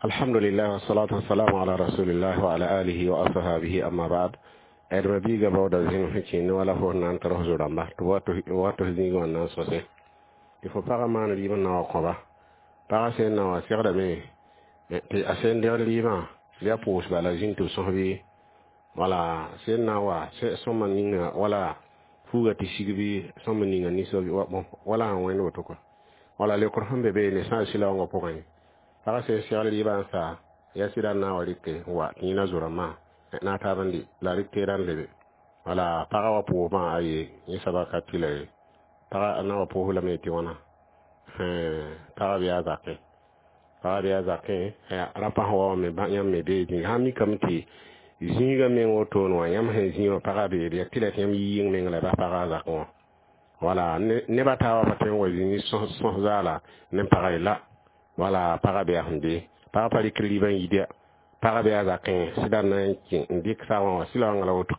Alhamdulillah, wassalatu wassalamu ala rasulillah wa ala alihi wa ashabihi, amma ba'd. Adma biiga baooda zĩng sẽn kẽend wala fo na n tɩ f zo-rãmba tɩ wa tɩ f zĩigã wã na n sõse tɩ fo pagã maan rɩɩb n na wa kõba. Pagã sẽn na wã segdame tɩ a sẽn degd rɩɩbã bɩ a pʋʋs bala zĩnd tɩ b sõs bɩ wala sẽn na wa sõma ninga wala fuuga tɩ sig bɩ sõma ninga ninsã wala sẽn wẽnd woto kɔa. Wala leokr sẽn be be ne sã n sɩla wãngã pʋgẽ, pagã sẽn segl rɩɩbã n sa yaa sɩda n na n wa rɩke n wa tɩ yẽna zo-rãmbã na taab n dɩ la rɩk teerã n lebe. Wala pagã wa pʋʋsmã aye, yẽ soaba ka tɩ la ye pagã na wa pʋʋs lame tɩ wãna pagã bɩ a zakẽ, pagã bɩ a zakẽ rapa sẽn wa wã me yãmb me bee zĩig sã n mikame tɩ zĩigã meng wotone wã yãmb sẽn zĩ wã pagã beede yaa tɩ la tɩ yãmb yi yɩng meng la bas pagã a zakẽ wã. Wala neb a taabã pa tõe n wa zĩig sõs zaala ne pagã ye la. Wala pagã bɩ a sẽn be pagã pa rɩk rɩɩbã n yida, pagã bɩ a zakẽ sɩda n na n kẽ n dɩk saamã wã sɩla wãnga la woto.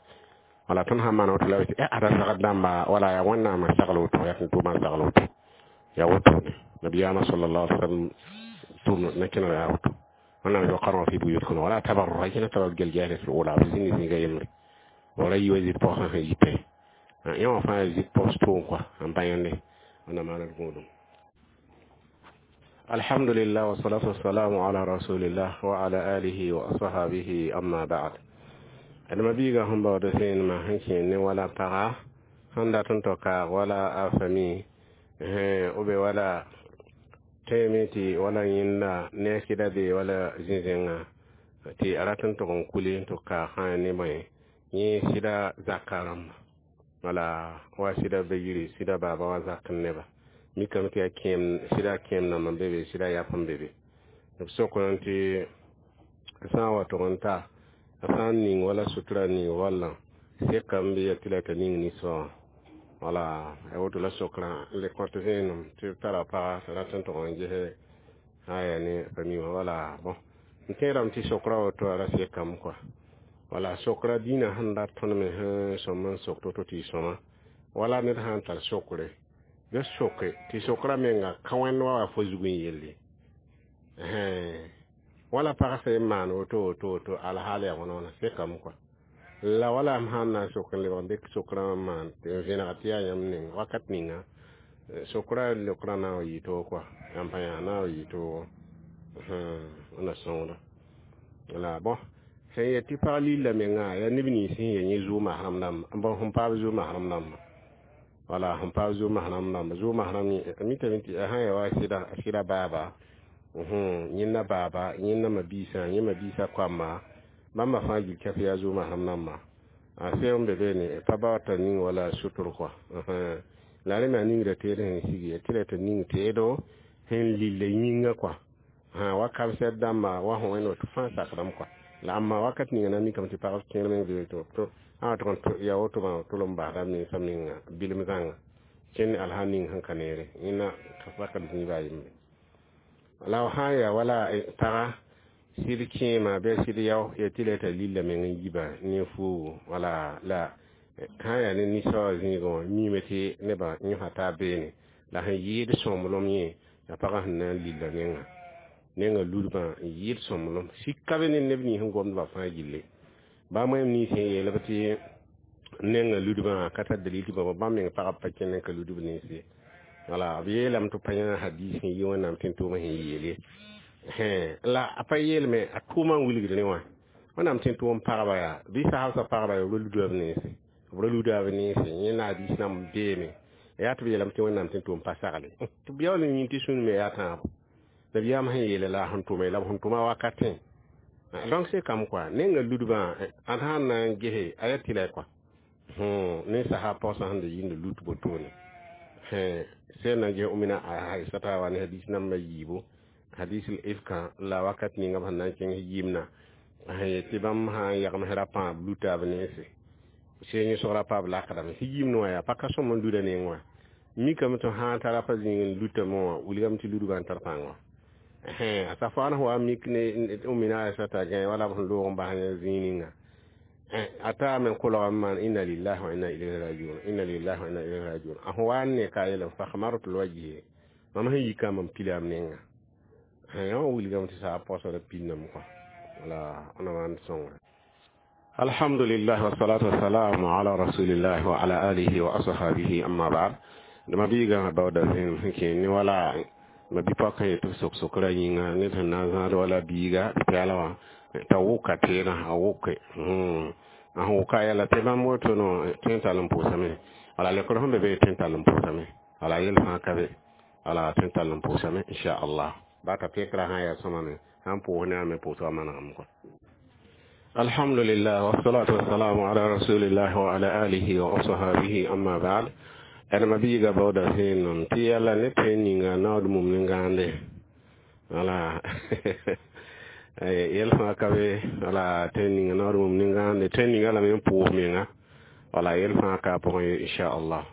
Wala tõnd sãn maan woto la tɩ ada sagd dãmba wala yaa Wẽnnaam n sagl woto, yaa tɩ tʋʋmã n sagl woto, yaa wotone nabiyaamã sallallahu alaihi wasallam tʋʋm na kẽnega yaa woto. Wẽnnaam وقرن في بيوتكن ولا تبرجن تبرج الجاهلية الأولى b zĩng zĩiga yembre wala yi wa zɩd paoosã sẽn yitẽ yẽ wã fãa zɩd paoos tʋʋm kɔa n bã yẽnde. Wẽnnaam maana d gũudum. Alhamdulillah, wassalatu wassalamu ala rasulillah wa ala alihi wa ashabihi, amma ba'd. Adama biiga sẽn baood sẽenema sẽn kẽer ne wala paga sẽn dat n tao kaag wala a fami b wala tẽeme tɩ wala yẽnda ne a sɩda be wala zĩ-zẽngã tɩ a rat n tʋg n kuli n tɩ kaag sã ne bõe yẽ sɩda zaka rãmba wala wa sɩda ba yiri sɩda baaba wa zak n neba mikame tɩ yaa kẽem sɩda kẽem namba n be be sɩda yap n be be b sokr tɩ sã n wa tʋg n ta a sã n ning wala sutura ning wallã sekame bɩ ya tɩ la t'a ning ninsã wã. Wala a woto la sokrã n le kõt vẽenem tɩ b tara paga tɩ rat n tʋg n ges aya ne famille wã. Wala bõn n tẽedame tɩ sokra woto a ra sekame kɔa. Wala sokra dĩinã sẽn dat tõnd me sẽn sõm n sok to-to tɩ y sõma wala ned sã n tar sokre bɩ soke tɩ sokra menga ka wẽnd wa wa fo zug n yelle wala pag sẽn maan woto woto woto alhaal yaa wãna wãna sekame kɔa. La wala m sãn na n sok n lebg n dɩk sokrã n maan tɩ n vẽneg tɩ yaa yãmb neng wakat ninga sokra leokrã na n wa yɩ toog kɔa, yãmb pa yã na n wa yɩ toogo wẽnna sõngda. La bõn sẽn yet tɩ pag lilla menga yaa neb nins sẽn ya yẽ zʋʋg masrem dãmba bõn sẽn paam zʋʋg masrem dãmba wala sẽn paam zʋʋg masrem dãmba zʋʋg masrem mitame tɩ sã ya wa sɩda baaba, yẽnda baaba, yẽnda mabiisã, yẽ mabiisã koamba bãmba fãa gil kɛf yaa zʋʋg masrem dãmba a sẽn n be beene pa ba t'a ning wala sutur kɔa. La rẽ me a ningda teed sẽn sigi tɩ la t'a ning teedo sẽn lilla yĩnga kɔa wa kamsɛd dãmba wa sẽn wẽnd woto fãa sakdame kɔa. La amma wakat ninga na mikame tɩ pagb kẽer meng be to a tʋg n ya woto tʋl n basda mensã menga bilm zãnga kẽnd alsã ning sẽn ka neere yẽnda ka sakd zĩiba a yembre. La sã n yaa wala paga sɩd kẽema bɩ a sɩd yao ya tɩ la t'a lilla meng n yiba ne fuugo wala la sã n yaa ne ninsã wã zĩigẽ wã miime tɩ nebã yõsa taab beene la sẽn yɩɩd sõmblem yẽ yaa pagã sẽn na n lilla nenga nenga ludbã n yɩɩd sõmblem sika be ne neb nins sẽn gomdbã fãa gilli bãmb wẽm nins sẽn yeelb tɩ nenga ludbã ka tar dalil tɩ bãmb meng pagb pa kẽnd n ka ludb ninse. Wala b yeelame tɩ pa yã hadis sẽn yi Wẽnnaam tɩ n tʋʋmã sẽn yeele la a pa yeelme a tʋʋmã n wilgd ne wã Wẽnnaam tɩ n tʋʋm pagba yaa bɩ saasã pagba yaa b ra luda b nense, b ra luda b nense yẽnda hadis nãmb beeme yaa tɩ b yeelame tɩ Wẽnnaam tɩ n tʋʋm pa sagle tɩ b yaool n yĩn tɩ sũn me yaa tãabo nabiyaam sẽn yeele la sẽn tʋme la b sẽn tʋma wakatẽ. Donc sekame kɔa nenga ludbã ad sãn na n gese a yaa tɩ la kɔa ninsaasã paoosã sẽn da yĩnda lut wotone sẽn na n ges Umina Aisata wa ne hadis namba yiibu hadis ifka la wakat ninga b sẽn na n kẽng yimna sẽn yet tɩ bãmb sã n yagms ra pãab luta b nense sẽn yẽsg ra paab lakdame sẽn yimd wã yaa pa ka sõm n luda neng wã mikame tɩ sã n tara pa zĩig n lutame wã wilgame tɩ ludbã n tar pãng wã a safaan wa mik ne Umina Aisata gã wala b sẽn loog n bas zĩig ninga a taa me kolgame maan inna lillahi wa inna ilayhi rajiun, inna lillahi wa inna ilayhi rajiun. A sẽn wa n ne ka yeelame فاحمررت وجهي mam sẽn yika mam pilam nenga. Yã wã wilgame tɩ saa posd pinname kɔa. Wala na maan sõngre. Alhamdulillah wassalatu wassalamu ala rasulillah wa ala alihi wa ashabihi, amma ba'd. Dama biiga bawda zẽnem sẽn kẽ ne wala ma bi-pɔkã yetɩ b sok sokrã yĩnga ned sẽn na n zãad wala biiga pɛɛla wã t'a wʋka teerã a wʋke a sẽn wʋka yɛla tɩ bãmb woto no tõe n tall n pʋʋsame. Wala lekr sẽn be be tõe n tall n pʋʋsame. Wala yel fãa ka be, wala tõe n tall n pʋʋsame, inchallah. Ba t'a pekrã sã n yaa sõma me sãn pʋʋs ne a me pʋʋsgã manegame kɔa. Alhamdulillah wassalatu wassalamu ala rasulillah wa ala alihi wa ashabihi, amma ba'd. Adama biiga baooda vẽenem tɩ yala ne tẽn ninga naood mum ne gãande. Wala yɛl fãa ka be, wala tẽn ninga naood mum ne gãande, tẽn ninga lame n pʋʋs menga, wala yɛl fãa ka a pʋgẽ ye, inchallah.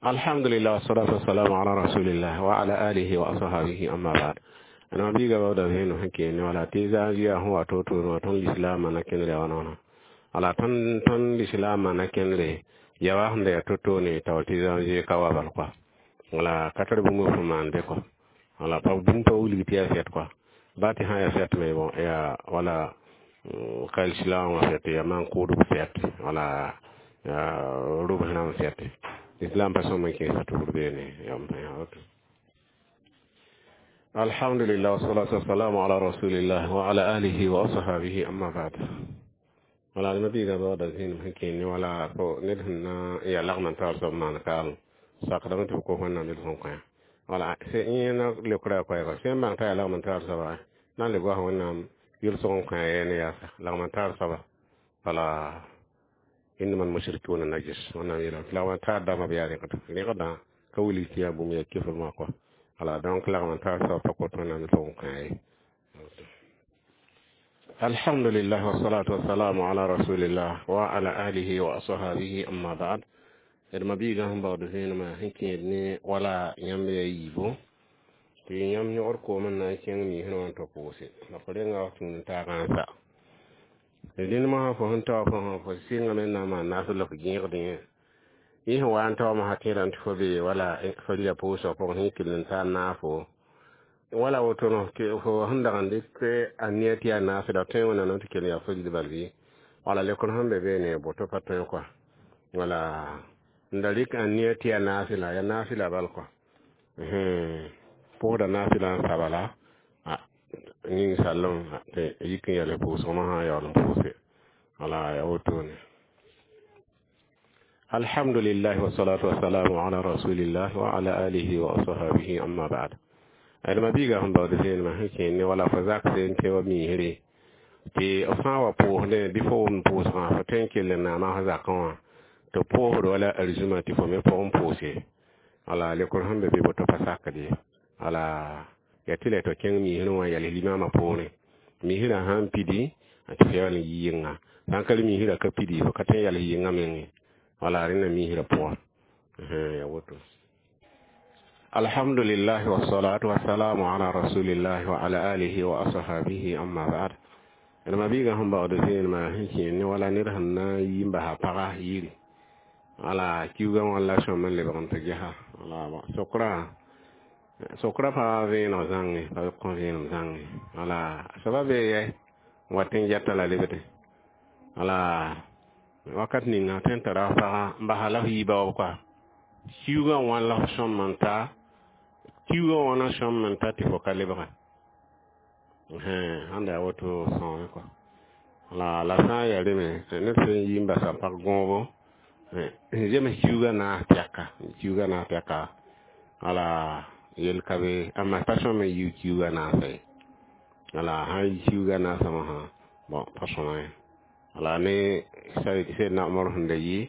Alhamdulillah wassalatu wassalamu ala rasulillah wa ala alihi wa ashabihi, amma ba'd. Adama biiga baooda vẽenem sẽn kẽene wala tɩ zãag yaa sẽn wa to-to wã tõnd lislaamã na kẽndre wã noona. Wala tõnd lislaamã na kẽndre yawa sẽn da yaa to-to ne taoor tɩ janvier ka wa bal kɔa. Wala ka tar bũmb fõ maan be kɔa. Wala pa bũmb pa wilg tɩ yaa fɛt kɔa. Ba tɩ sã yaa fɛt me, bon, yaa wala ka islam wã fɛt, yaa maan kʋʋdb fɛt, wala yaa rʋbs rãmb fɛt. Islam pa sõm n kẽesa tugr beene yam yaa woto. Alhamdulillah wassalatu wassalamu ala rasulillah wa ala alihi wa ashabihi, amma ba'd. Wala ma biiga baooda zĩinim sẽn kẽe ne wala fo ned sẽn na n yaa lagm n taoor soab maan kaam sakdame tɩ b kos Wẽnnaam yel sẽn kõ. Wala yẽ na leokra koɛɛga sẽn bãng t'a yaa lagm n taoor soaba na n le goas Wẽnnaam yel-sog n kõ yɛ ne yaasa lagm n taoor soaba. Wala innama almushrikuna najis, Wẽnnaam yeelame tɩ lagm n taar dãmbã b yaa rẽgdã ka wilg tɩ yaa bũmb yaa kefr wã kɔa. Wala donc lagm n taoor soab pa kot Wẽnnaam yel-sog n kõ ye. Alhamdulillah wassalatu wassalamu ala rasulillah wa ala alihi wa ashabihi, amma ba'd. D ma biigã sẽn baood vẽenemã sẽn kẽed ne wala yãmb yaa yiibo tɩ yãmb yõgd koom n na n kẽng miisrã wã n tɩ pʋʋse la fo renga wa tũud n taagã n sa dẽnd mosã fo sẽn tao fo fo sɩngame n na n maan naas la fo gẽegd yẽ yẽ sẽn wa n taoome sã tẽedame tɩ fo be wala fo rɩla pʋʋsg pʋgẽ sẽn kell n taa naafo wala woto no fo sẽn dag n dɩk a nia tɩ yaa naasda tõe Wẽnnaam tɩ kell yaa fo rid bal bɩ. Wala lekr sẽn be beene boto pa tõe kɔa. Wala n da rɩk a nia tɩ yaa naasla, yaa naasla bal kɔa, pʋʋsda naasla n sa bala ning sallem tɩ yik n yɛls pʋʋsg mosã yaool n pʋʋse. Wala yaa wotone. Alhamdulillah wassalatu wassalamu ala rasulillah wa ala alihi wa ashabihi, amma ba'd. Adama biiga sẽn baood vẽenemã sẽn kẽe ne wala fo zak sẽn tɩ wa miisre tɩ f sã n wa pʋʋsdẽ bɩ fo wʋmd pʋʋsgã fo tõe n kell n naama f zakẽ wã tɩ pʋʋsd wala arzũmã tɩ fo me pʋgẽ pʋʋse. Wala lekr sẽn be be boto pa sakd ye. Wala yaa tɩ la tɩ kẽng miisrẽ wã yals limaamã poorẽ miisrã sãn pidi tɩ f yaool n yi yɩnga, sãn ka le miisrã ka pidi fo ka tõe n yals yɩnga menge. Wala rẽnda miisrã pʋgã yaa woto. Alhamdulillah wassalatu wassalamu ala rasulillah wa ala alihi wa ashabihi, amma ba'd. Ma biiga sẽn baood vẽenemã sẽn kẽe ne wala ned sẽn na n yi n basa paga yiri. Wala kiuugã wã la sõm n lebg n tɩ gesa. Wala sokra sokra pa vẽeneg zãnge pa kõ vẽenem zãnge. Wala soaba bee yɛ n wat n yɛta la lebde. Wala wakat ninga tõe n tara paga n basa la f yiiba wa kɔa kiuugã wã la f sõm n ta kiuugã wã na sõm n ta tɩ fo ka lebga sãn da yaa woto sõome kɔa. La la sã n yaa reme ned sẽn yi n basa pag gõobo n zems kiuugã naas tɛka kiuugã naas tɛka, wala yel ka be, amma pa sõm n yiu kiuugã naasa ye. Wala sãn yi kiuugã naasã mosã, bon, pa sõma ye. Wala ne Seydna Omar sẽn da yi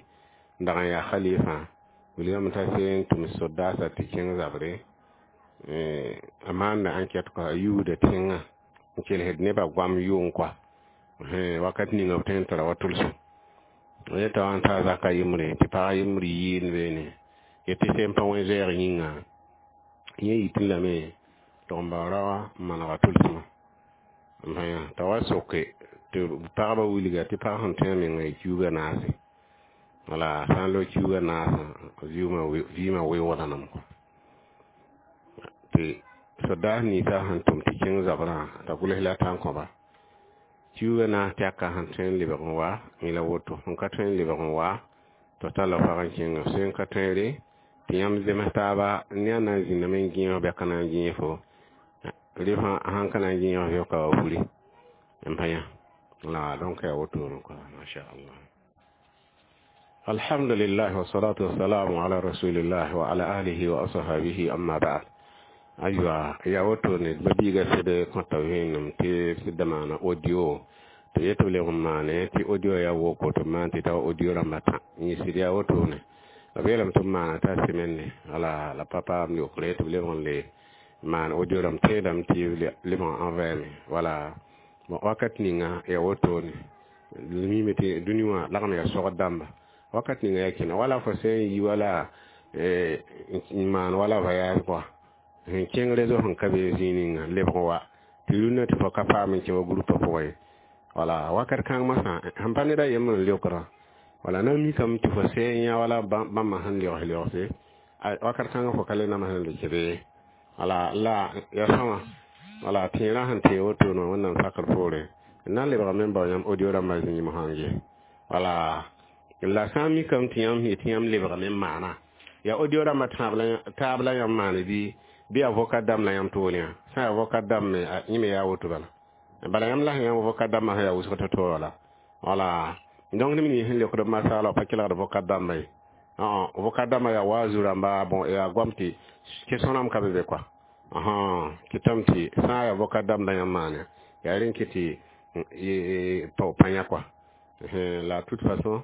n dag n yaa khalifa wilgame t'a sẽn tʋm sodaasã tɩ kẽng zabre a maanda enquête kɔa, a yuuda tẽngã n kelsd nebã goam yʋng kɔa wakat ninga b tõe n tara wa tʋlsem yeta wã n taa zaka yembre tɩ pag yembr yɩɩnd beene yetɩ sẽn pa wẽ zoɛɛg yĩnga yẽ yitẽ lame tɩ n bao raoã n manega tʋlsmã t'a wa soke tɩ pagba wilga tɩ pag sẽn tõe a menga y kiuugã naase. Wala sã n loog kiuugã naasã vɩɩmã weoogdanam kɔ tɩ Sodaas ninsã sẽn tʋm tɩ kẽng zabrã t'a gʋls la t'a n kõba tɩ yuuga naas tɛka sẽn tõe n lebg n wa yẽ la woto sẽn ka tõe n lebg n wa tɩ talla fag n kẽnga sẽn ka tõe re tɩ yãmb zems taaba ne a na n zĩndame n gẽeg bɩ a ka na n gẽeg fo rɩ sãn ka na n gẽeg fo ka wa furi n pa yã la donc ya wotone quoi, masha Allah. Alhamdulillah, wassalatu wassalamu ala rasulillah wa ala alihi wa ashabihi, amma ba'd. Aywa, ya wotone mabiiga sẽd kõta vẽenem tɩ sɩd maana audio tɩ yet tɩ b leb n maane tɩ audio ya woko tɩ b maan tɩ ta audio rãmbã tã yẽ sɩd yaa wotone la b yeelame tɩ b maana t'a semaine wala la pa paam yokre tɩ b leb n le maan audio rãmb tẽedame tɩ leb n envoyer me. Wala bon, wakat ninga ya wotone mime tɩ dũni wã lagm ya sogd dãmba wakat ninga ya kẽna wala fo sẽn yi wala n maan wala voyage quoi, sẽn kẽng réseau sẽn ka be zĩig ninga lebg wa tɩ rũnnã tɩ fo ka paam n kẽ wa groupe pʋgẽ ye. Wala wakat kãng masã sẽn pa ned a yembr n leokra wala na mikame tɩ fo sẽn yã wala bãmba sẽn legs leogse wakat kãngã fo ka le nams n le kẽde. Wala la ya sõma wala tẽerã sẽn tee wotone Wẽnnaam sakr poore n na n lebgame n bao yãmb audio rãmbã zĩig sãn ge. Wala la sã n mikame tɩ yãmb yetɩ yãmb lebgame n maana ya audio rãmbã taab la yãmb maane bɩ ya vocal dãmb la yãmb tool yã sã ya vocal dãmb me yẽ me yaa woto bala bala yãmb la sẽn yãmb vocal dãmbã sẽn yaa wʋsg tɩ to wala. Wala donc neb nins sẽn leokd b masaala pa kelgd vocal dãmbã ye. Vocal dãmbã yaa wa zu-rãmba, bon, yaa goam tɩ question rãmb ka be be quoi. Kɩtame tɩ sã n yaa vocal dãmb la yãmb maane yaa rẽn kɩ tɩ pa yã quoi. La toute façon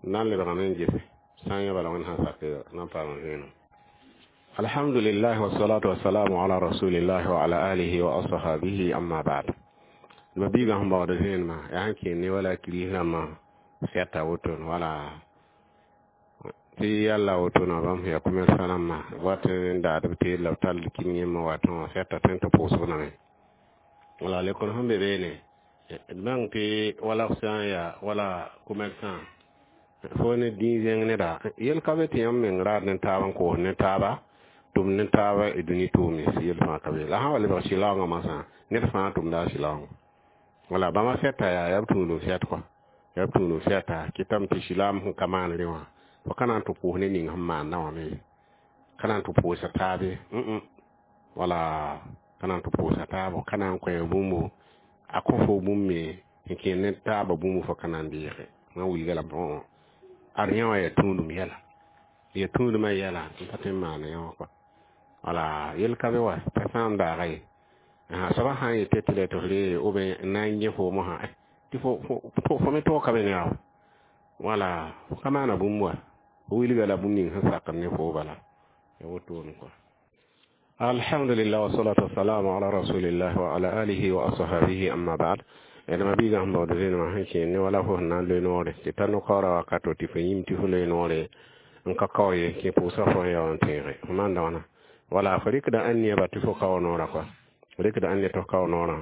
na n lebgame n gese sã n yã bala Wẽnd sã n sak na n paam vẽenem. Alhamdulillah, wassalatu wassalamu ala rasulillah wa ala alihi wa ashabihi, amma ba'd. Ma biiga sẽn baood vẽenemã yaa sẽn kẽer ne wala kiris rãmbã sɛta wotone wala tɩ yalla wotona bãmb sẽn yaa commerçant rãmbã wat n daad b teel la b tall kim yẽmbã wa tõa sɛta tõe tɩ pʋʋsg name. Wala lekor sẽn be beene d bãng tɩ wala f sã n yaa wala commerçant fo ne dĩig zẽng neda yel ka be tɩ yãmb meng raad ne taab n koos ne taaba tʋm ne taaba dũni tʋʋm yel fãa ka be la sã wa lebg sɩlaoongã masã ned fãa tʋmda a sɩlaoongã. Wala bãmba sɛta yaa b tũudum sɛt kɔa yaa b tũudum sɛta kɩtame tɩ sɩlaam sẽn ka maan rẽ wã fo ka na n tɩ pʋʋs ne ning sẽn maanda wã me ka na n tɩ pʋʋsa taabe, wala ka na n tɩ pʋʋsa taabo ka na n kõ bũmbu a kõ fo bũmb me n kẽer ne taaba bũmb fo ka na n deege n wilga la ad yã wã yaa tũudum yɛla ya tũudumã yɛla n pa tõe n maan yã wã kɔa. Wala yel ka be wa pa sã n daaga ye soaba sã n yetɩ tɩ tɩ f ree ou bien n na n yẽ foom sã tɩ fo me toog ka be ne yaa wala fo ka maana bũmb wa fo wilga la bũmb ning sẽn sakd ne fo bala ya wotone quoi. Alhamdulillah, wassalatu wassalamu ala rasulillah wa ala alihi wa ashabihi, amma ba'd. D mabiigã sẽn baood vẽenemã sẽn kẽer ne wala fo sẽn na n loe noore tɩ tar no-kaoora wakato tɩ fo yĩm tɩ fo loe noore n ka kao ye kẽ pʋʋsga fo sẽn ya wã n tẽege fo maanda wãna wala fo rɩkda ãn neeba tɩ fo kao noorã kɔa rɩkda ãn ne tɩ fo kao noorã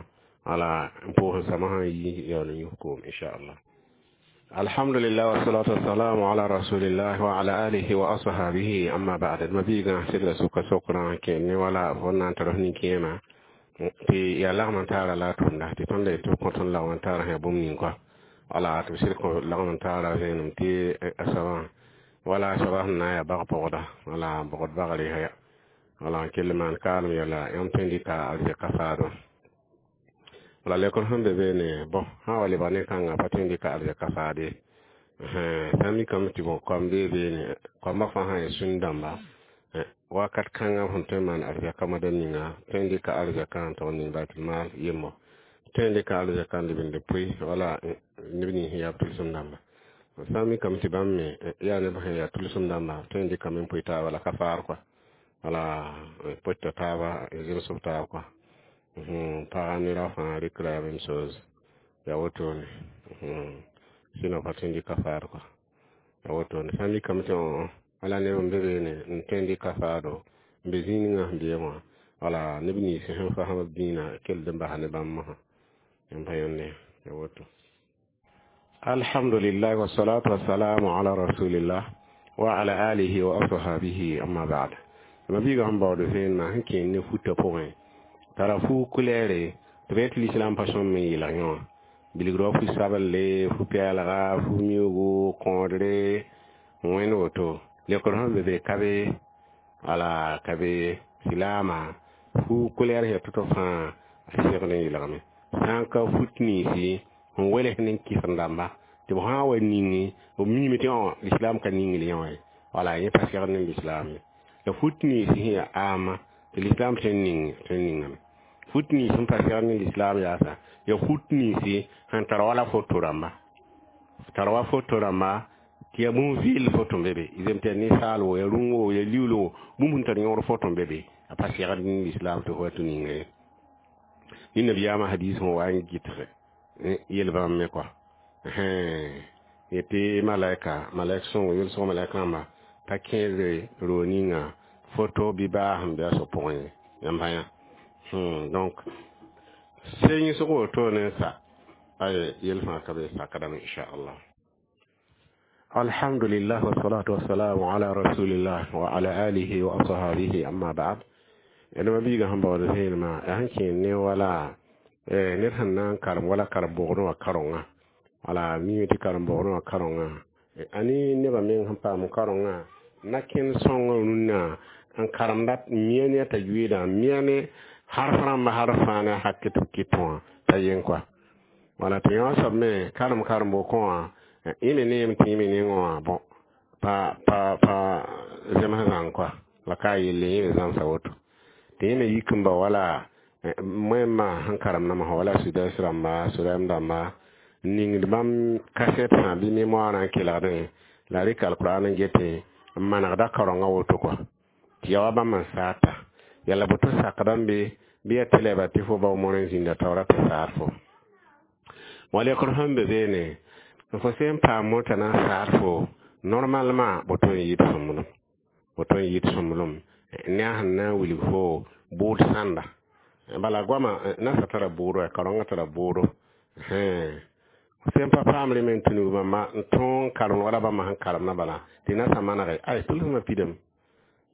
wala n pʋʋs n samã sãn yi yaool n yus koom inchallah. Alhamdulillah, wassalatu wassalamu ala rasulillah wa ala alihi wa ashabihi, amma ba'd. Mabiigã segla sʋka sokrã kẽer ne wala fo na n tar f nin-kẽema tɩ yaa lagm n taara la a tʋmda tɩ tõnd la tɩ b kõt n lagm n taara sã bũmb ning kɔa wala tɩ b sɩd kõ lagm n taara vẽenem tɩ a soabã wala a soaba sẽn na n yaa bag-pʋgda wala bogd bagre ya wala n kell maan kaalem yɛla yãmb tõe n dɩka arzɛka faadã wala lekr sẽn be beene. Bõn sã wa lebg ne kãngã pa tõe n dɩka arzɛka faade sã n mikame tɩ bõ koam bee beene koambã fãa sã n yaa sũn-dãmba wakat kãngã sẽn tõe n maan arzɛka moadã ninga tõe n dɩka arzɛka n tog n ning baitulmaal yembo tõe n dɩka arzɛka n leb n pʋɩ wala neb nins sẽn yaa tʋlsem dãmba sã n mikame tɩ bãmb me yaa neb sẽn yaa tʋlsem dãmba tõe n dɩkame n pʋɩ taaba la ka faar kɔa wala pʋɩta taaba zemsb taab kɔa paga nera fãa rɩkra la même chose ya wotone sinon pa tõe n dɩka faar kɔa ya wotone sã n mikame tɩ wala neb n be beene n tõe n dɩka faado n be zĩig ninga sẽn beẽ wã wala neb nins sẽn fasem b dĩinã kell n basa ne bãmb mosã n pa yõnde ya woto. Alhamdulillah, wassalatu wassalamu ala rasulillah wa ala alihi wa ashabihi, amma ba'd. Mabiiga sẽn baood vẽenemã sẽn kẽer ne futã pʋgẽ. Tara fu kulɛɛre tɩ b tɩ lislaam pa sõm n yɩlg yõ bilgd wa fu sabelle, fu pɛɛlga, fu miuugu, kõodre, wẽnd woto. Lekr sẽn be be ka be, wala ka be silaamã fu kulɛɛr sẽn ya tʋ-tʋ fãa a segd n yɩlgame. Sã n ka fut ninsi sẽn wels ne kɩsem-dãmba tɩ b sã n wa ningi b miime tɩ lislaam ka ning yã wã ye, wala yẽ pa segd ne lislaam ye. La fut nins sẽn ya ãama tɩ lislaam tõe n ning tõe n ningame. Fut nins sẽn pa segd ne lislaam yaasa ya fut ninsi sẽn tar wala foto rãmba, tar wa foto rãmba tɩ ya bũmb vɩɩl foto n be be, zem tɩ ya ninsaal wo, ya rũng wo, ya liuul wo, bũmb sẽn tar yõor foto n be be, a pa segd ne lislaam tɩ fo wa tɩ ninga ye. Ni nabiyaamã hadis sẽn wa n gɩtge yel bãmb me kɔa yetɩ malaika, malaik sõngo yʋlsg malaik rãmba pa kẽede roog ninga foto bɩ baa sẽn be a so pʋgẽ ye, yãmb yã. Donc sẽngsg woto ne sa ay yel fãa ka be sakdame, inchallah. Alhamdulillah, wassalatu wassalamu ala rasulillah wa ala alihi wa ashabihi, amma ba'd. Ẽdma biigã sẽn baood vẽenemã yaa sẽn kẽer ne wala ned sẽn na n karem wala karen-bogdẽ wã karonga, wala mime tɩ karen-bogdẽ wã karonga ani nebã meng sẽn paam karonga na kẽnd sõngã rũnnã n karemda mia ne a tajwidã, mia ne harf rãmba, harf fãa ne a hakɩ tɩ b kɩt wã t'a yen kɔa. Wala tɩ yõ soab me karem karen-bokẽ wã yẽ me neem tɩ yẽ me nengẽ wã bõ pa pa pa zems zãng kɔa, la ka a yelle yẽ me zãmsa woto tɩ yẽ me yik n ba wala moẽmbã sẽn karem namsã wala sudais rãmba, sorɛm dãmba n ningd bãmb kasɛt sã bɩ mémoire n kelgdẽ la rɩk alkuraan n getẽ n manegda kaoongã woto kɔa tɩ ya wa bãmb n saata yala boto sakdame be bɩ ya tɩ lɛɛba tɩ fo bao moor n zĩnda taoora tɩ saad fo wa lekr sẽn be beene fo sẽn paam motã na n saad fo normalement boto n yɩɩd sõmblem, boto n yɩɩd sõmblem ne a sẽn na n wilg fo bʋʋd sãnda. Bala goamã nasã tara bʋʋdo, ya kaoongã tara bʋʋdo. Sẽn pa paam rẽ me n tũnug bãmba n tõog n karem wala bãmba sẽn karemdã bala tɩ nasã manege ay tʋlsmã pidame,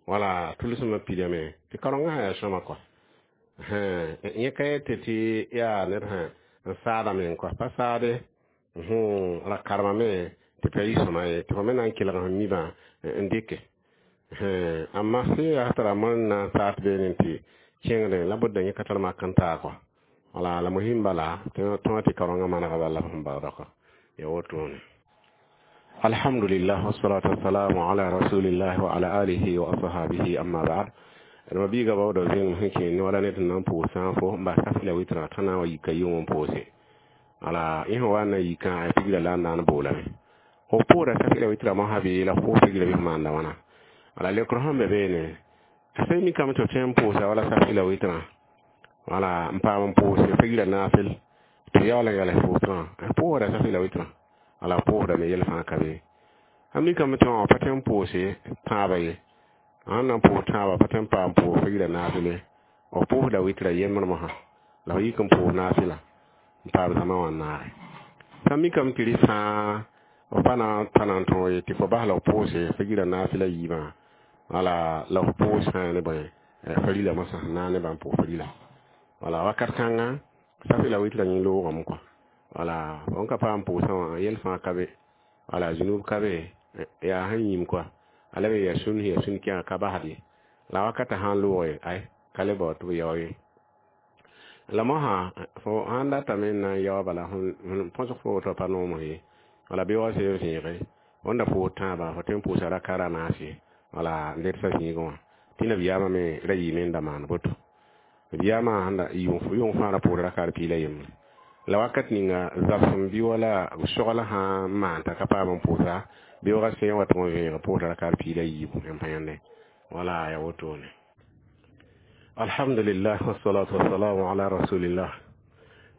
wala tʋlsmã pidame tɩ kaoongã sã yaa sõma kɔa. Yẽ ka yetɩ tɩ yaa ned sã n saadame n kɔa, pa saade ra karemame tɩ pa yɩ sõma ye tɩ fo me na n kelg sẽn mibã n dɩke. Amma sẽn yaa tara mõr n na n saat beene tɩ kẽngdẽ la bʋd yẽ ka tar mak n taa kɔa. Wala la muhim bala tõa tɩ kaoongã manega bala sẽn baooda kɔa ya wotone. Alhamdulillah, wassalatu wassalamu ala rasulillah wa ala alihi wa ashabihi, amma ba'd. Rãmba biiga baooda zẽng sẽn kẽer ne wala ned sẽn na n pʋʋs sã n fo n bas safɩla wɩtrã t'a na n wa yika yʋng n pʋʋse, wala yẽ sẽn wa n na yikã a pigra la n na n boolame fo pʋʋda safɩla wɩtrã mosã bɩ la fo pigra bɩ f maanda wãna. Wala lekr sẽn be beene a sẽn mikame tɩ f tõe n pʋʋsa wala safɩla wɩtrã, wala n paam n pʋʋse pigra naafɩl tɩ yaool n yals pʋʋsrã pʋʋsda safɩla wɩtrã, wala pʋʋsdame yɛl fãa ka be. A mikame tɩ wã pa tõe n pʋʋse tãabã ye, sãn na n pʋʋs tãabã pa tõe n paam pʋʋs pigra naafɩle, f pʋʋsda wɩtrã yembr mosã la f yik n pʋʋs naafɩla n paam zãma wã n naage. Sã mikame tɩ rɩ fãa f pa na n pa na n tõog ye tɩ fo bas la f pʋʋse pigra naafɩla yiibã, wala la f pʋʋs sã ne bõe farila mosã sẽn na n ne bãmb pʋʋs farila, wala wakat kãnga safɩla wɩtrã yẽ loogame kɔa. Wala fõn ka paam pʋʋsã wã yɛl fãa ka be, wala zunub ka be, yaa sẽn yĩm kɔa a la be ya sũn ya sũn kẽga ka basd ye, la wakatã sãn loog ay ka le bao tɩ b yao ye. La mosã fo sãn datame n na n yao bala põsg fo woto pa noomd ye, wala bɩ wa sẽn zẽege fõn da pʋʋs tãabã fo tõe n pʋʋsa raka ra naase, wala n ledsa zĩigẽ wã tɩ nabiyaamã me ra yɩɩme n da maan boto. Nabiyaamã sẽn da yʋng fãa ra pʋʋs raka d piig la yembre la wakat ninga zabsem bɩ wala sogl sã n maan t'a ka paam n pʋʋsa beoogã sẽn wa tɩ n vẽeg pʋʋsda raka d piig la yiibu yãmb pa yãnde, wala ya wotone. Alhamdulillah, wassalatu wassalamu ala rasulillah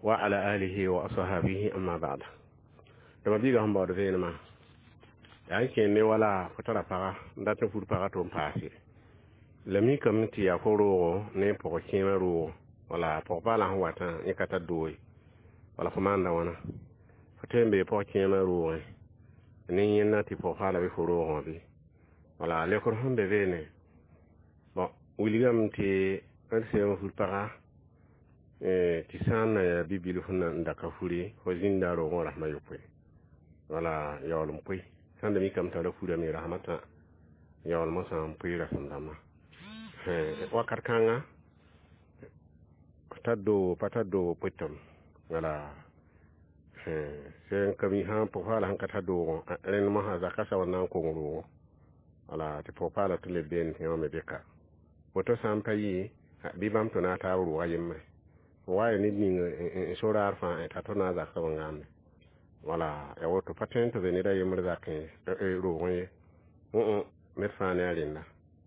wa ala alihi wa ashabihi, amma ba'd. Dama biiga sẽn baood vẽenemã yaa n kẽer ne wala fo tara paga n dat n fur paga tɩ n paase la mikame tɩ yaa fo roogo ne pʋg kẽemã roogo, wala pʋg-paalã sẽn watã yẽ ka tar doo ye, wala fo maanda wãna fo tõe n bee pʋg kẽemã roogẽ ne yẽnna tɩ pʋg-paalã bɩ fo roogẽ wã bɩ wala lekr sẽn be beene. Bõn wilgame tɩ d sẽn fur paga Tɩ sã n na yaa bi-bilf n da ka fure fo zĩnda roogẽ rasmã yopoe wala yaool n poe sãn da mikame t'a ra furame rasmã tã yaool mosã n poe rasem dãmbã wakat kãnga tar doogo pa tar doogo poetame wala sẽn ka mi sã pʋg-paala sẽn ka tar doogõ rẽnd mosã zaka soab n na n kong roogo wala tɩ pʋg-paala tɩ leb beene tɩ yõ me beka woto sã n pa yɩ bɩ bãmb tʋ na a taab rʋʋga yembre wa ya ned ning n so raar fãa t'a tʋ na a zak soab n gãamde wala ya woto pa tõe n tɩ be ned a yembr zakẽ ye roogẽ ye ned fãa ne a rẽnda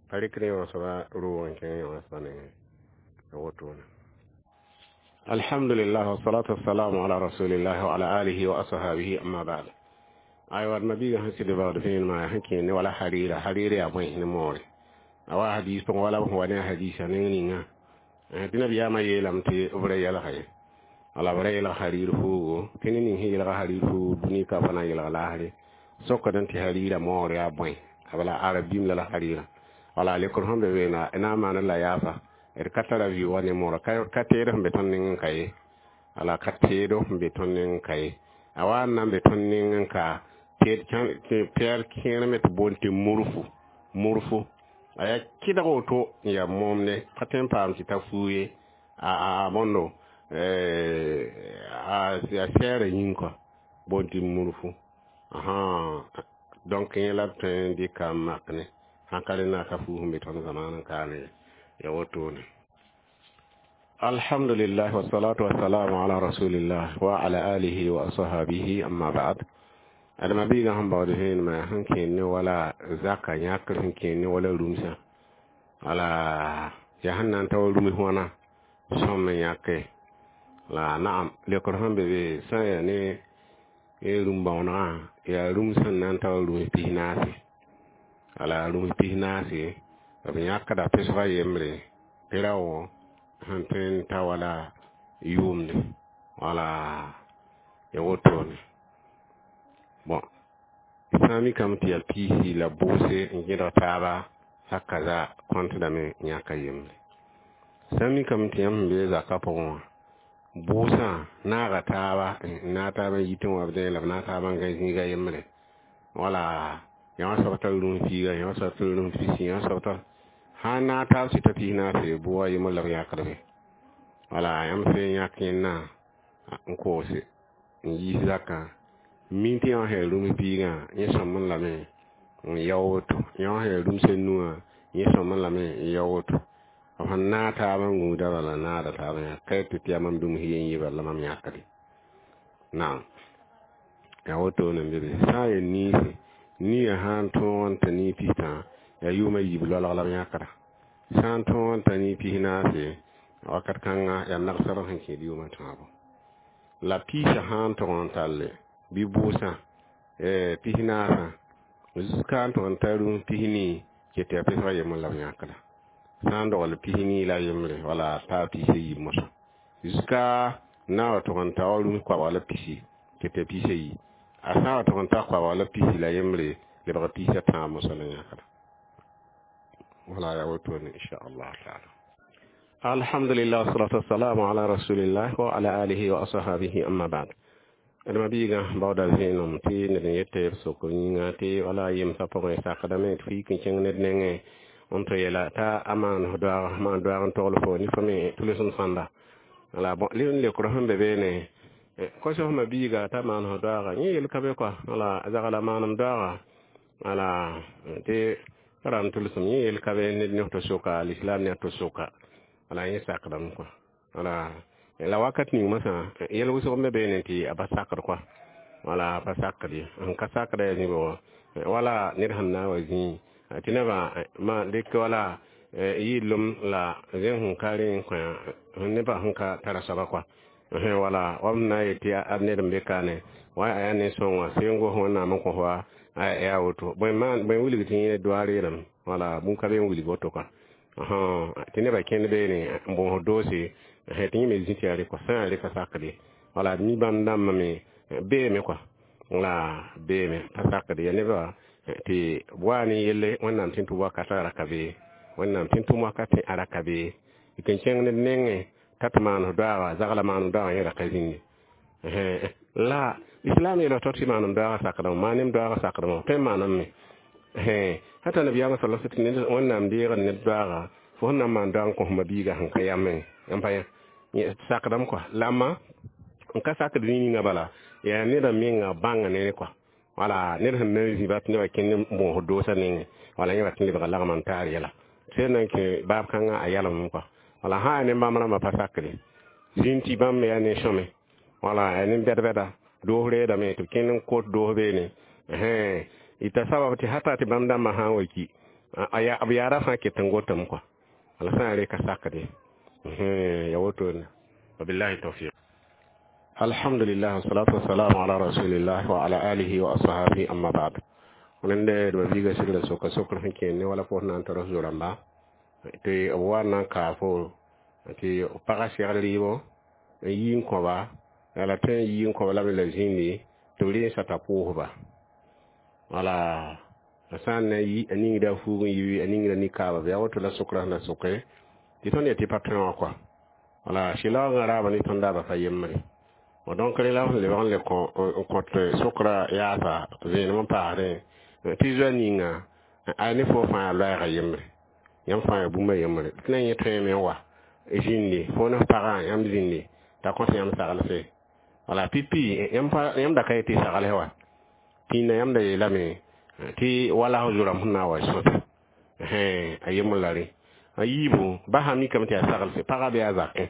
pa rɩkd yõ soaba roog n kẽng yõ soaba nengẽ ya wotone. Alhamdulillah, wassalatu wassalamu ala rasulillah wa ala alihi wa ashabihi, amma ba'd. Aywa mabiga sẽn sɩd baood vẽenemã sẽn kẽer ne wala harira harira yaa bõe ne moore a wa hadis pʋgẽ wala b sẽn wa ne a hadisa neng ninga tɩ nabiyaamã yeelame tɩ b ra yɛlga ye wala b ra yelg harir fuugo tɩ ned ning sẽn yelga harir fuugo dũni ka pa na n yelg laasre sokdẽ tɩ harira moor yaa bõe bala arab bĩm la la harira wala lekr sẽn be beena na n maand la yaafa d ka tara vɩʋʋga ne moorã ka teed sẽn be tõnd neng n ka ye wala ka teedo sẽn be tõnd neng n ka ye a wa n na n be tõnd neng n ka pɛɛr kẽer me tɩ boond tɩ murfu murfu a yaa kɩdg woto n yaa moomde pa tõe n paam tɩ ta fuu ye a bõndo a sɛɛrã yĩng kɔ boond tɩ murfu donc yẽ la b tõe n dɩka n mak ne sãn ka rẽnda ka fuu sẽn be tõnd zamaan n kaane ya wotone. Alhamdulillah, wassalatu wassalamu ala rasulillah wa ala alihi wa ashabihi, amma ba'd. Adama biiga sẽn baood vẽenemã sẽn kẽer ne wala zaka yãkr sẽn kẽer ne wala rũmsã wala yaa sẽn na n ta wa rũms wãna sõm n yãke la naam lekr sẽn be be sã n yaa ne rũm-bãoonegã yaa rũm sẽn na n ta wa rũms 14 wala rũms 14 b yãkda pesga yembre tɩ rao sẽn tõe n ta wala yʋʋmde wala ya wotone bon sã n mikame tɩ yaa piisi la bʋʋse n gẽdg taaba saka za kõntdame yãka yembre sã n mikame tɩ yãmb sẽn be zakã pʋgẽ wã bʋʋsã naaga taaba n naag taaba n yitẽ wã b dẽ la b naag taaba n gãe zĩiga yembre wala yã wã soab tar rũms piiga yã wã soab tar rũms pisi yã wã soab tar sã n naag taab sɩta 14 bʋʋga yembr la b yãkdbe wala yãmb sẽn yãk yẽnna n koose n yiis zakã min tɩ yã wã sẽn rũms piigã yẽ sõmẽ lame n yao woto yã wã sẽn rũms a nuwã yẽ sõmẽ lame n yao woto b sẽn naag taab n gũuda bala naada taab yã ka tɩ tɩ yaa mam dũms yen yɩ bala la mam yãkde naam yaa wotone n be be sã n yaa niise niigã sã n tõog n ta niig pistã yaa yʋʋmã yiib loalg la b yãkda sã n tõog n ta niig 14 wakat kãnga yaa nagsr sẽn kẽed yʋʋmã tãabo la piisã sã n tog n talle bɩ bʋʋsã pisnaasã zuka n tog n ta rũms 14 ket yaa pesga yembr la b yãkda sã n dogl 14 la yembre wala taa 17 mosã zuka na wa tog n ta wa rũms koabg la pisi ket yaa 14 a sã n wa tog n ta koabg la pisi la yembre lebg 13 mosã la yãkda wala yaa wotone insha allah taala. Alhamdulillah, wassalatu wassalamu ala rasulillah wa ala alihi wa ashabihi, amma ba'd. Adama biiga baooda vẽenem tɩ ned n yet b sokr yĩnga tɩ wala yemsã pʋgẽ sakdame tɩ fo yik n kẽng ned nengẽ n tɩ yeela t'a a maan doaag maan doaag n togl fo ne fo me tʋlsem sãnda wala bon n lekr sẽn be beene kos f ma biiga t'a maan f doaaga yẽ yel ka be kɔa wala zagla maanem doaaga wala tɩ ra n tʋlsem yẽ yel ka be ned ne tɩ soka lislam ne tɩ soka wala yẽ sakdame kɔa wala la wakat ning masã yɛl wʋsg me beene tɩ a pa sakd kɔa wala a pa sakd ye n ka sakda yaa zĩbg wala ned sẽn na n wa zĩig tɩ nebã ma dɩk wala yɩɩlem la zẽn sẽn ka rẽ n kõ nebã sẽn ka tara soaba kɔa wala wa b na n yet tɩ ad ned n be kaane wa yaa ne sõng wã seen gos wẽnnaam n kõ wa yaa woto bõe wilg tɩ yẽ doa reelem wala bũn ka be n wilg woto kɔa tɩ nebã kẽnd beene n bõos doose tɩ yẽ me zĩ tɩ yaa rɩ kɔa sã n yaa rɩka sakde wala mi bãmb dãmbã me beeme kɔa la beeme pa sakde yaa nebã tɩ b waa ne yelle wẽnnaam tɩ n tʋm wakatã ra ka be wẽnnaam tɩ n tʋm wakatẽ a ra ka be tɩ n kẽng ned nengẽ T'a tɩ maan f doaaga zagla maan doaaga yẽ ra ka zĩnde. La islam yeela tɩ tɩ maanam doaaga sakdame, maan doaaga sakdame, tõe n maaname. Hata nabiyaamã sala tɩ ned Wẽnnaam deegd ned doaaga, fo sẽn na n maan doaag n kõ f ma-biiga sẽn ka yamẽ n pa yã sakdame kɔa. La ma n ka sakd zĩig ninga bala yaa neda menga bãnga nere kɔa. Wala ned sẽn na n zĩ bat nebã kẽnd n bõosd doosã nengẽ, wala yẽ wat n lebga lagma n taar yɛla sẽn na n kẽ baab kãngã a yalem kɔa. Wala sã yaa ne bãmb rãmbã pa sakde zĩnd tɩ bãmb me yaa ne sõme, wala yaa ne bɛd-bɛda doos reedame tɩ b kẽnd n kot doos beene ɩta sabab tɩ hata tɩ bãmb dãmbã sã n wa ki b yaada fãa ket n gotame kɔa. Wala sã n re ka sakde ya wotone. Wabillahi tawfiq. Alhamdulillah, wassalatu wassalamu ala rasulillah wa ala alihi wa ashabihi, amma ba'd. Wẽnde d biiga sɩgra soka sokr sẽn kẽer ne wala fo na n tar f zo-rãmba tɩ b wa n na n kaa fo tɩ pagã segl rɩɩbɔ n yi n kõba la tõe n yi n kõba lame la zĩndi tɩ b rẽ sata pʋʋsba. Wala a sã n na yi a ningda fuug n yi a ningda nikaaba bɩ a woto la sokrã sẽn na soke tɩ tõnd yetɩ pa tõe wã kɔa. Wala sɩlaoogã raaba ne tõnd daaba pa yembre. Donc rẽ la sẽn lebg n le n kõt sokra yaasa vẽenem n paasdẽ tɩ zoa ninga a ne fo fãa yaa loɛɛga yembre, yãmb fãa yaa bũmba yembre tɩ na yẽ tõeme n wa zĩndi fo ne f pagã yãmb zĩndi t'a kõt yãmb saglse. Wala pipi yãmb da ka yetɩ saglse wa pĩnda yãmb da yeelame tɩ wala f zo-rãmb sẽn na n wa sõta a yembr la rẽ. A yiibu ba sã mikame tɩ yaa saglse pagã bɩ yaa zakẽ,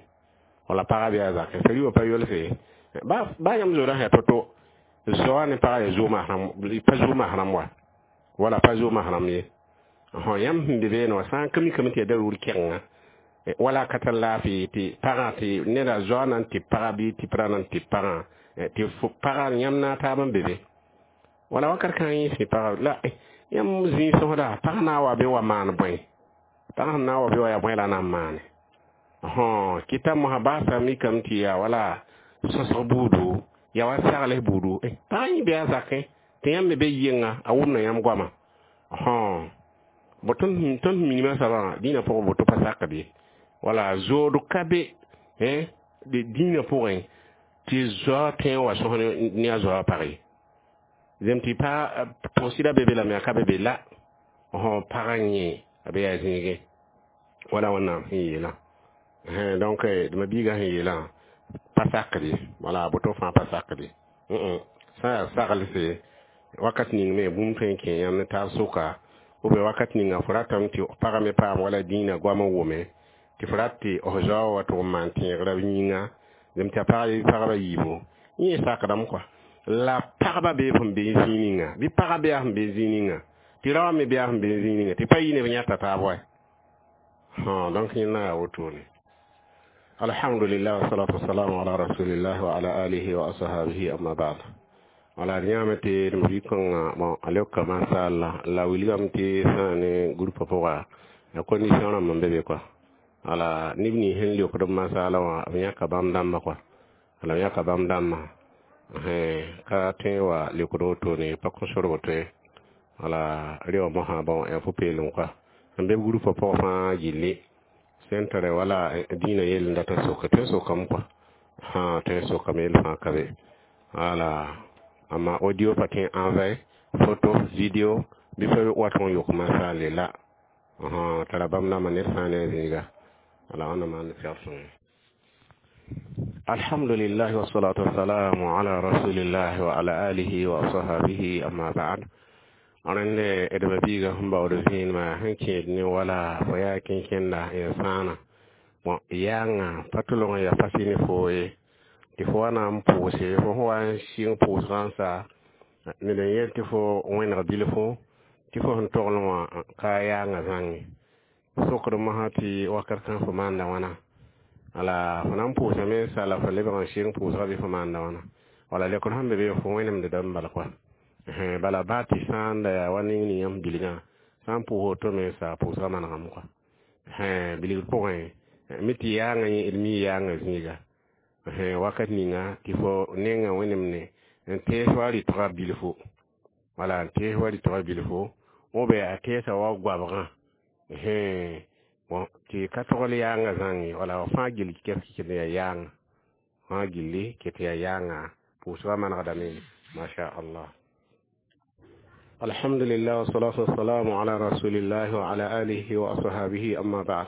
wala pagã bɩ yaa zakẽ sã pa yolse ba yãmb zoodã sã to-to zoa ne pagã yaa zoom pa zoom mahram wa, wala pa zoom mahram ye. Yãmb sẽn be beene wã sã n ka mikame tɩ yaa darur kɛgenga wala ka tar laafɩ tɩ pagã tɩ neda zoa na n tɩ pagã bɩ tɩ pra na n tɩ pagã tɩ pagã yãmb na taab n be be wala wakat kãng yẽ sẽ pagã la yãmb zĩig sõsda pag na n wa be wa maan bõe, pag sẽn na n wa be wa yaa bõe la na n maane. Kɩta mosã baasa mikame tɩ yaa wala sõsg buudu yaa wa sagls buudu pagã yẽ bɩ a zakẽ tɩ yãmb me be yɩnga a wʋmda yãmb goama. Bo tõnd sẽn minimã soabã dĩinã pʋgẽ boto pa sakd ye. Wala zood ka be dĩinã pʋgẽ tɩ zoa tõe n wa sõs ne a zoa pag ye. Zem tɩ pa tʋgsɩda be be lame a ka be be la pagã yẽ a be yaa zĩigẽ wala Wẽnnaam sẽn yeelã. Donc d ma-biigã sẽn yeelã pa sakd ye, wala boto fãa pa sakd ye. Sã n yaa saglse wakat ning me bũmb tõe n kẽ yãmb ne taab sʋka ou bien wakat ninga fo ratame tɩ pagã me paam wala dĩinã goam n wʋme tɩ fo rat tɩ f zaoog wa tʋg n maan tẽegrã yĩnga zem tɩ a pagba yiibu yẽ sakdame kɔa. La pagba bee sẽn be zĩig ninga bɩ pagã bee a sẽn be zĩig ninga tɩ raoã me bee a sẽn be zĩig ninga tɩ pa yɩ neb yãta taab wa. Donc yẽnda yaa wotone. Alhamdulillah, wassalatu wassalamu ala rasulillah wa ala alihi wa ashabihi, amma ba'd. Wala d yãame tɩ d bi-kõnga bon a leoka masala la wilgame tɩ sã ne groupe pʋga ya condition rãmb n be be kɔa. Wala neb nins sẽn leokd b masala wã b yãka bãmb dãmbã kɔa, wala b yãka bãmb dãmbã ka tõe wa leokd wotone pa kõ sor woto ye. Wala re wã mosã bon yaa pu-peelem kɔa sẽn be b groupe pʋgã fãa gilli sẽn tare wala dĩinã yell n data soka tõe n sokame kɔa, tõe n sokame yell fãa ka be. Wala amma audio pa tõe n envoyé photo vidéo bɩ pa wat n yok masaale la tara bãmb dãmbã ned fãa ne a zĩiga. Wala wãnda maan pɛgr sõnge. Alhamdulillah, wassalatu wassalamu ala rasulillah wa ala alihi wa ashabihi, amma ba'd. Rẽnde d ma-biigã sẽn baood vẽenemã sẽn kẽed ne wala fo yaa kẽnkẽnda ya sãana bon yaangã pa tʋlg n ya fasi ne foo ye tɩ fo wa na n pʋʋse fo sẽn wa n sɩng pʋʋsgã n sa ned n yel tɩ fo wẽneg bilfo tɩ fo sẽn toglẽ wã ka yaangã zãnge sokd mosã tɩ wakat kãng fo maanda wãna. Wala fo na n pʋʋsame n sa la fo lebg n sɩng pʋʋsgã bɩ fo maanda wãna wala lekr sẽn be be fo wẽnemd dãmb bala kɔa. Bala baa tɩ sã n da yaa wa ning ning yãmb bilgã sã n pʋʋs woto me sa pʋʋsgã manegame kɔa. Bilgr pʋgẽ mi tɩ yaangã yẽ d mi yaangã zĩiga wakat ninga tɩ fo nenga wẽnemne n tees wa rɩtga bilfo, wala n tees wa rɩtga bilfo ou bien a teesa wa goabgã. Bon tɩ ka togl yaanga zãng ye, wala fãa gill kes tɩ yaa yaanga, fãa gilli ket yaa yaanga, pʋʋsgã manegdame, masha Allah. Alhamdulillah, wassalatu wassalamu ala rasulillah wa ala alihi wa ashabihi, amma ba'd.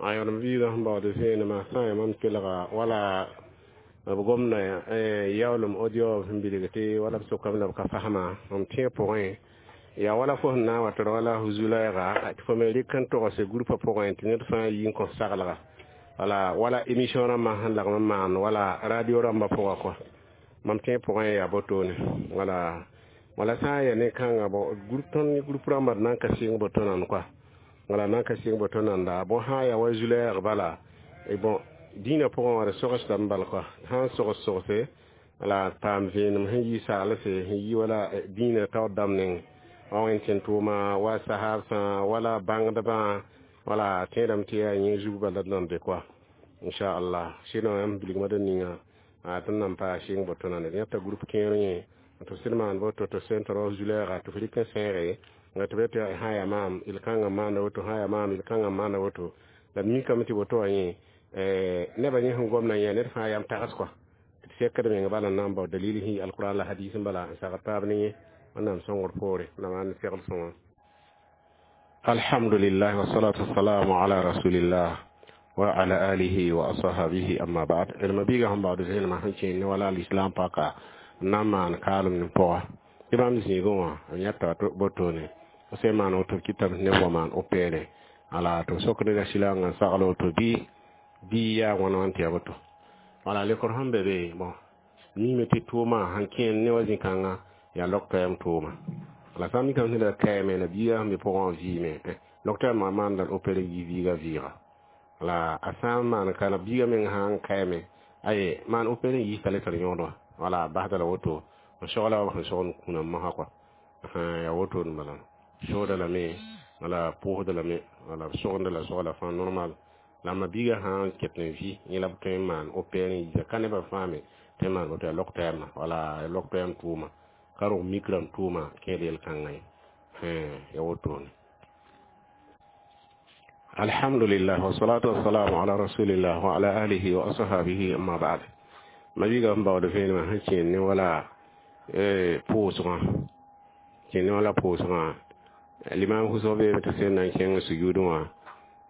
Ayõdem biigã sẽn baood vẽenemã sã n yaa mam kelga wala b gomda yaoolem audio sẽn bilg tɩ wala b sokame la b ka fasma mam tẽeg pʋgẽ yaa wala fo sẽn na n wa tɩ wala zu-lɛɛga tɩ fo me rɩk n togse groupa pʋgẽ tɩ ned fãa yi n kõ saglga, wala wala émission rãmbã sẽn lagm n maan wala radio rãmbã pʋga kɔa mam tẽeg pʋgẽ yaa botone, wala wala sã n yaa ne kãnga bon groupe tõnd groupe rãmbã d na n ka sɩng boto nan kɔa, wala na n ka sɩng boto nanda. Bon, sã n yaa wa zu-lɛɛg bala, bon dĩinã pʋgẽ wã d sogsdame bal kɔa, sã n sogs sogse la paam vẽenem sẽn yi saalse sẽn yi wala dĩinã taoor dãmb neng wa wẽnd tẽn tʋʋma wa sahaabsã wala bãngdbã, wala tẽedame tɩ yaa yẽ zug bala d nan be kɔa, inchallah. Sɩdã yãmb bilgmã d ninga tɩ n nan paa sɩng boto nande yãta groupe kẽer yẽ tɩ sẽd maan boto tɩ sẽn tɩ rao zu-lɛɛga tɩ f rɩk n sẽege tɩ be tɩ sã yaa maam yel-kãngã maanda woto, sã yaa maam yel-kãngã maanda woto, la d mikame tɩ woto wã yẽ nebã yẽ sẽn gomda yẽ ned fãa yam tags kɔa tɩ d sekd meng bala n na n bao dalil sẽn yi alquran la hadis n bala n sagd taab ne yẽ. Wẽnnaam sõngr poore la maan segl sõnga. Alhamdulillah, wassalatu wassalamu ala rasulillah wa ala alihi wa ashabihi, amma ba'd. Ilma biiga sẽn baood vẽenemã sẽn kẽen ne wala alislam paka n na n maan kaalem ne pʋga tɩ bãmb zĩigẽ wã b yãta botone f sẽn maan woto kɩtame tɩ neb wa maan opere ala tɩ b sok neda silangã n sagl woto bɩ yaa wãna wãn tɩ yaa woto, wala lekr sẽn be be. Bon, mime tɩ tʋʋmã sẽn kẽen ne wa zĩ-kãngã yaa lok-tɛɛm tʋʋma, la sã n mikame tɩ neda kaame la biigã sẽn be pʋgẽ wã vɩɩme lok-tɛɛmã maanda l opere yi viiga vɩɩga, la a sã n maan ka la biigã meng sã n kaame aye maan opere n yiis t'a le tar yõod wã, wala basda la woto n sogla wa sẽn sogd n kũuna mosã kɔa, yaa woto n bala sooda lame, wala pʋʋsda lame, wala b sogenda la sogla fãa normal. La ma biigã sã n ket n vɩ yẽ la b tõe n maan opere n yiisa ka nebã fãa me tõe n maan woto yaa lok-tɛɛmã, wala lok-tɛɛm tʋʋma ka rog mikrame tʋʋma kẽed yel-kãngã ye, yaa wotone. Alhamdulillah, wassalatu wassalamu ala rasulillah wa ala alihi wa ashabihi, amma ba'd. Ma biigã sẽn baood vẽenemã sẽn kẽen ne wala pʋʋsgã, kẽen ne wala pʋʋsgã limam wʋsg beeme tɩ sẽn na n kẽng sujuudẽ wã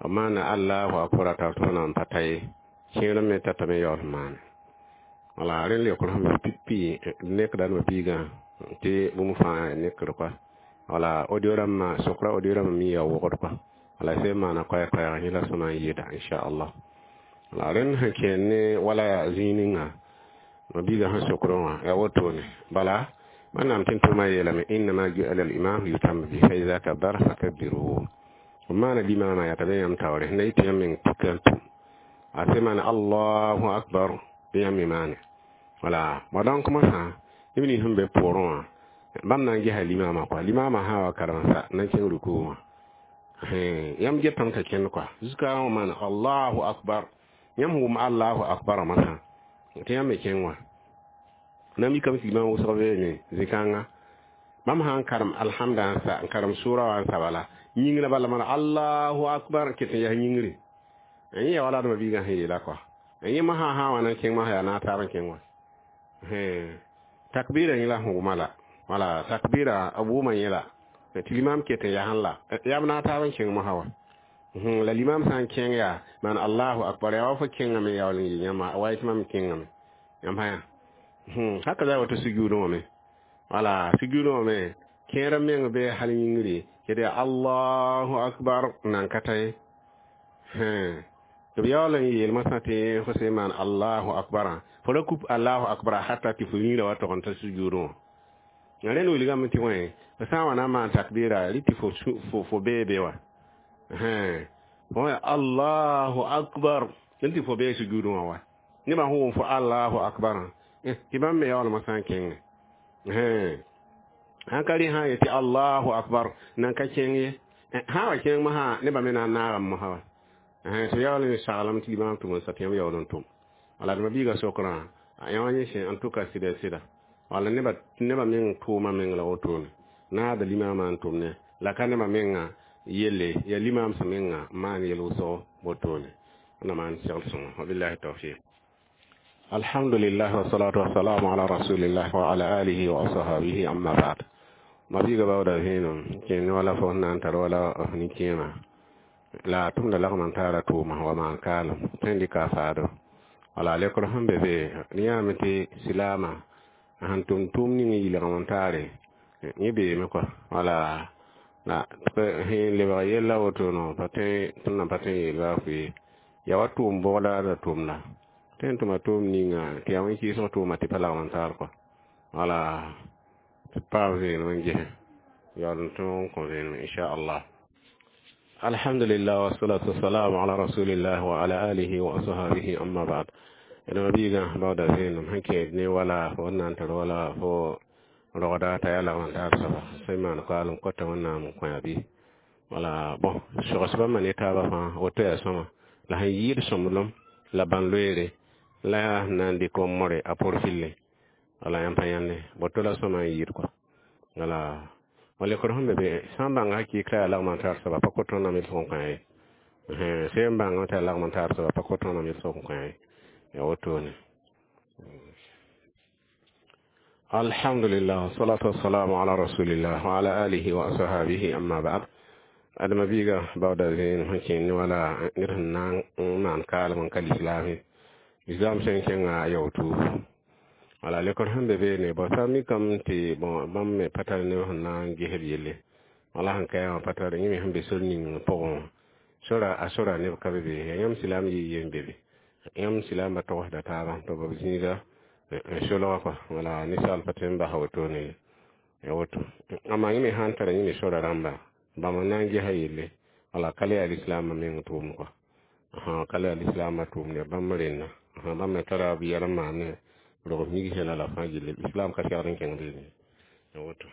b maana allahu akbar a tar tõe na n pa ta ye kẽer me tatame yaool n maane, wala rẽnd leokr sẽn be pipi nekda d biigã tɩ bũmb fãa nekd kɔa, wala audio rãmbã sokra audio rãmbã mi yaa wogd kɔa, wala sẽn maana koɛɛ-koɛɛg yẽ la sõma n yɩɩda, inchallah. La rẽnd sẽn kẽen ne wala zĩig ninga ma biigã sẽn sokrẽ wã yaa wotone bala wẽnnaam tɩ n tʋma yeelame innama ju'ala al-imam liyutamma bihi fa iza kabbara fakabbiru. B maana limaamã yaa t'a be yãmb taoore sẽn na yɩ tɩ yãmb meng tika n tʋm a sẽn maana allahu akbar bɩ yãmb me maane, wala ba donc mosã neb nins sẽn be pʋʋrẽ wã bãmb na n gesa limaamã kɔa, limaamã sã wa karem-sa na n kẽng rukuu wã yãmb getame ka kẽnd kɔa jusqu'à wã maana allahu akbar, yãmb wʋm allahu akbar masã tɩ yãmb me kẽng wã na mikame tɩ limaam wʋsg beeme zĩ-kãnga bãmb sã n karem alhamda n sa n karem sʋʋra wã n sa bala yĩngrã bala maana allahu akbar ket n yaa yĩngre yẽ yaa wala adma biigã sẽn yeela kɔa yẽ mosã sã wa na n kẽng mosã yaa naag taab n kẽng wã takbira yẽ la sẽn wʋma la wala takbira b wʋma yẽ la tɩ limam ket n yaa la yaa b naag taab n kẽng mosã wa, la limam sã n kẽng yaa maan allahu akbar yaa wa fo kẽngame yaool n yɩ yãmba wa yetɩ mam kẽngame yãmb sã yaa haka za woto sujuudẽ wã me, wala sujuudẽ wã me kẽer meng be hal yĩngre ked yaa allahu akbar nan ka ta ye tɩ b yaool n yeel masã tɩ fo sẽn maan allahu akbarã fo ra kup allahu akbar hata tɩ fo yĩngrã wa tog n ta sujuudẽ wã. Rẽnd wilgame tɩ wẽ f sã n wa na n maan takbira rɩ tɩ fo bee be wa fo allahu akbar rẽnd tɩ fo bee sujuudẽ wã wa nebã sẽn wʋm fo allahu akbarã tɩ bãmb me yaoolmã sã n kẽnge sãn ka rẽ sã n yetɩ allahu akbar nan ka kẽng ye sã wa kẽng mosã nebã me na n naagame mosã wa tɩ yaool n saglame tɩ limaam tʋm n sa tɩ yãmb yaool n tʋm, wala d ma-biigã sokrã yã wã yẽ sẽn en tout cas sɩda sɩda wala nebã meng tʋʋma meng la wotone naada limaamã n tʋm ne la ka nebã menga. Yelle yaa limaamsã menga n maan yel wʋsgo wotone. Na maan segl sõngo. Wabillahi tawfiq. Alhamdulillah, wassalatu wassalamu ala rasulillah wa ala alihi wa ashabihi, amma ba'd. Mabiiga baooda vẽenem kẽnd wala fo sẽn na n tar wala f nin-kẽema la a tʋmda lagm n taara tʋʋma wa maan kaalem tõe n dɩka a faado. Wala lekr sẽn be be yãame tɩ silaamã sẽn tʋm tʋʋm ning n yɩlgem n taare yẽ beeme kɔa. Wala la sẽn lebg yella woto no pa tõe tõnd na pa tõe n yeel baa fʋɩ ya wa tʋʋm bogda la tʋʋmda tõe n tʋma tʋʋm ninga tɩ yaa wẽn-kɩɩsg tʋʋma tɩ pa lagm n taar kɔa. Wala tɩ paam vẽenem n ges yaool n tõog n kõ vẽenem, inchallah. Alhamdulillah, wassalatu wassalamu ala rasulillah wa ala alihi wa ashabihi, amma ba'd. Dama biigã baooda vẽenem sẽn kẽed ne wala fo n na n tar wala fo rogda t'a yaa lagm n taar soaba sẽn maan koaalem kota Wẽnnaam n kõ-a bɩ. Wala bõn sogs bãmba ne taabã fãa woto yaa sõma la sẽn yɩɩd sõmblem la bãn-loeere la yaa sẽn na n dɩk n more a porfille. Wala yãmb pa yãnde woto la sõma n yɩɩd kɔa. Wala lekr sẽn be be sã n bãnga hakɩɩk t'a yaa lagm n tar soaba pa kot tõndame sʋg n kõ-a ye. Sẽn bãngame t'a yaa lagm n tar soaba pa kot tõndame sʋg n kõ-a ye. Ya wotone. Alhamdulillah, salatu wassalamu ala rasulillah wa ala alihi wa ashabihi, amma ba'd. Adama biiga baooda vẽenem sẽn kẽnd wala ned sẽn na n maan kaalem n ka lislaame lislaam sẽn kẽnga yao tuubu. Wala lekr sẽn be beene bõ sã mikame tɩ bõ bãmb me pa tar neb sẽn na n ges b yelle wala sẽn ka yaa wã pa tar yẽ me sẽn be sor ning pʋgẽ wã sora a sora neb ka be be yaa yãmb silaam yɩ yen be be yãmb silaambã togsda taabã tɩ b zĩiga n solga kɔa. Wala ninsaal pa tõe n basa wotone ya woto. Amaa yẽ me sã n tara yẽ me sora rãmba bãmb n na n gesa yelle. Wala ka le yaa lislaambã meng tʋʋm kɔa, ka le yaa lislaambã tʋʋmd ya bãmb rẽnna bãmb me tara b yɛl n maan ne rog migsẽ la la fãa gilli islam ka segd n kẽng beene ya woto.